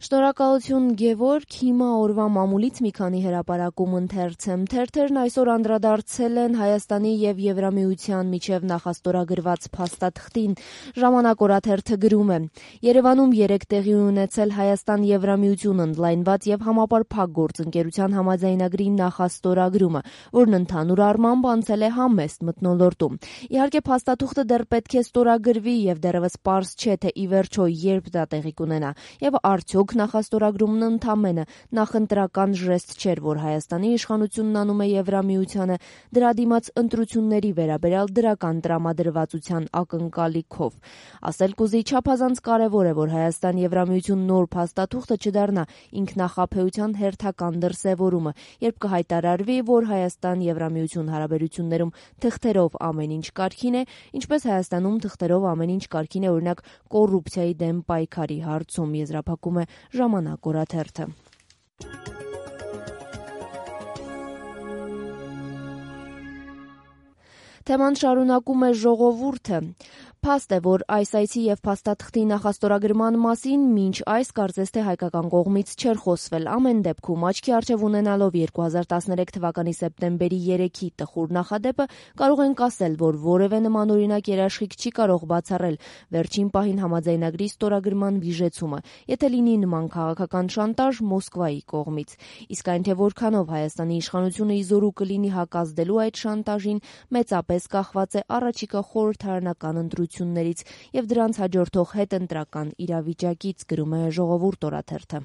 Շնորհակալություն Գևորգ, հիմա օրվա մամուլից մի քանի հրապարակում ընթերցեմ։ Թերթերն այսօր անդրադարձել են Հայաստանի եւ Եվրամիության միջև նախաստորագրված փաստաթղթին։ Ժամանակ օրաթերթը գրում է. Երևանում 3 տեղի ունեցել Հայաստան-Եվրամիություն ընդլայնված եւ համապարփակ գործընկերության համաձայնագրի նախաստորագրումը, որն ընդհանուր առմամբ անցել է համեստ մթնոլորտում։ Իհարկե փաստաթուղթը դեռ պետք է ստորագրվի եւ դեռևս պարզ չէ, թե ի վերջո երբ դա տեղի կունենա եւ արդյոք նախաստորագրումն ընդամենը նախընտրական ժեստ չէր, որ Հայաստանի իշխանությունն անում է Եվրամիությանը դրա դիմաց ընտրությունների վերաբերյալ դրական տրամադրվածության ակնկալիքով։ Ասել կուզի չափազանց կարևոր է, որ Հայաստան-Եվրամիություն նոր փաստաթուղթը չդառնա ինքնախաբեության հերթական դրսևորումը, երբ կհայտարարվի, որ Հայաստան-Եվրամիություն հարաբերություններում թղթերով ամեն ինչ կարգին է, ինչպես Հայաստանում թղթերով ամեն ինչ կարգին է օրինակ կոռուպցիայի դեմ պայքարի հարցում, եզրափակում է Ժամանակ օրաթերթը։ Թեման շարունակում է Ժողովուրդը։ Փաստ է, որ այս այցի եւ փաստաթղթի նախաստորագրման մասին մինչ այս կարծես թե հայկական կողմից չէր խոսվել։ Ամեն դեպքում աչքի առջև ունենալով 2013 թվականի սեպտեմբերի 3-ի տխուր նախադեպը կարող ենք ասել, որ որևէ նմանօրինակ երաշխիք չի կարող բացառել վերջին պահին համաձայնագրի ստորագրման վիժեցումը, եթե լինի նման քաղաքական շանտաժ Մոսկվայի կողմից։ Իսկ այն թե որքանով Հայաստանի իշխանությունը իզորու կլինի հակազդելու այդ շանտաժին, մեծապես կախված է առաջիկա խորհրդարանական ընտրություններից եւ դրանց հաջորդող հետընտրական իրավիճակից, գրում է Ժողովուրդ օրաթերթը։